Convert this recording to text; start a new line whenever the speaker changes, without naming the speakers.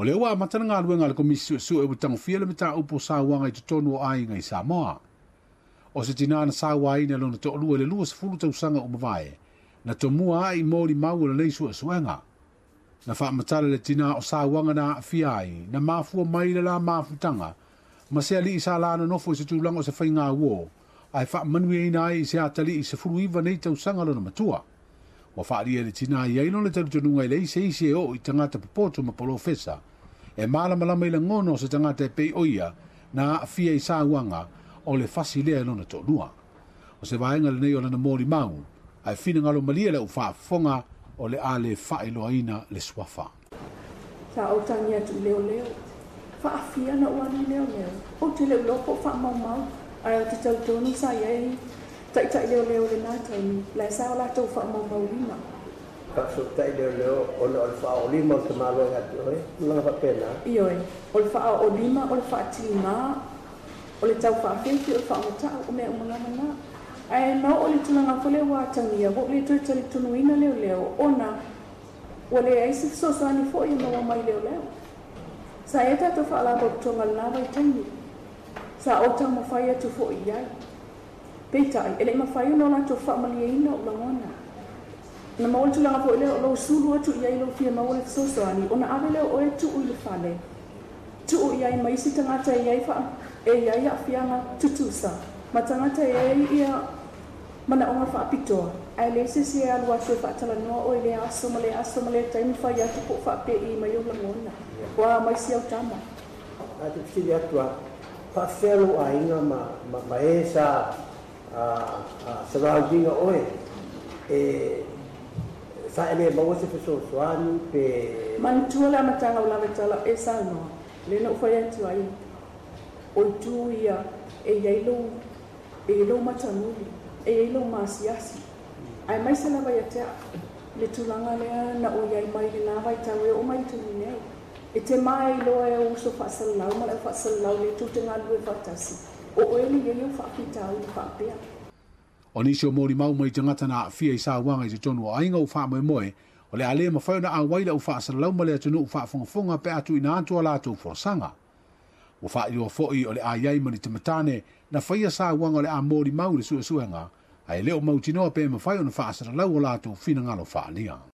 O lea ua amata le galuega a le Komisi Suesue ua tagofia le mataupu o sauaga i totonu o aiga i Samoa. O se tinā na sauaina e lona toalua i le 20 tausaga ua mavae, na tomua ae i molimau o lenei suesuega. Na faamatala le tinā o sauaga na aafia ai, na mafua mai le la mafutaga ma se alii sa la nonofo i se tulaga o se faiga uō, ae faamanuiaina ai i se atalii 19 nei tausaga lona matua. Ua faaalia e le tinā i ai lona talitonuga e leai se isi e oo i tagata popoto ma polofesa e malamalama i lagona o se tagata e pei o ia na aafia i sauaga o le fasi lea e lona toalua. O se vaega lenei o lana molimau, ae finagalo malie le au faafofoga o le a le faailoaina le suafa.
Sa ou tagi atu i leoleo. Faafia na ou alu i leoleo. Ou te le o iloa po o faamaumau, ae ou te talitonu sa i ai taitai leoleo i lena taimi, la e sa o latou faamaumauina.
Faafesootai leoleo ona o le faaoolima o le tamaloa ia te oe, tulaga faapena?
Ioe, o le faaoolima, o le faatiga, o le tau faafefe, o le faamatau, o mea uma lava na. Ae na oo i le tulaga foi lea ua atagia, ua ou le toe talitonuina leoleo ona ua leai se fesoasoani foi e maua mai leoleo. Sa i ai tatou faalapotopotoga i lena vaitaimi. Sa ou taumafai atu foi i ai. Peitai, e le i mafai ona o latou faamalieina ou lagona. Na maua le tulaga foi lea o lou sulu atu i ai lou fia maua le fesoasoani, ona ave lea o oe tuu i le fale, tuu i ai ma isi tagata e i ai faa, e i ai aafiaga tutusa, ma tagata e i ai ia manaoga faapitoa, ae leai se isi e alu atu e faatalanoa oe i lea aso ma lea aso ma lea taimi fai atu po o faapei mai ou lagona. Ua a mai si au tama.
Ae te fesili atu lava, faafefea lou aiga ma, ma, ma e sa surround ina oe e sa e le maua se fesoasoani pe.
Manatua le amataga o Lavetala e saunoa, lea na ou fai atu ai, o itu ia e i ai lou, e i ai lou matamuli, e i ai lou maasiasi, aemaise lava ia te au le tulaga lea na ou i ai mai lena vaitau e oo mai i le taimi nei. E te mae iloa e ou uso faasalalau ma le au faasalalau lea tou te galulue faatasi, o oe le i ai ou faafitauli faapea.
O nisi o molimau mai tagata na aafia i sauaga i totonu o aiga ua faamoemoe o le a le mafai ona auai le au faasalalau ma le atunuu faafogafoga pe a tuuina atu a latou folasaga. Ua faailoa foi o le a i ai ma ni tamatane na faia sauaga o le a molimau i le suesuega, ae le o mautinoa pe mafai ona faasalalau o latou finagalo faaalia.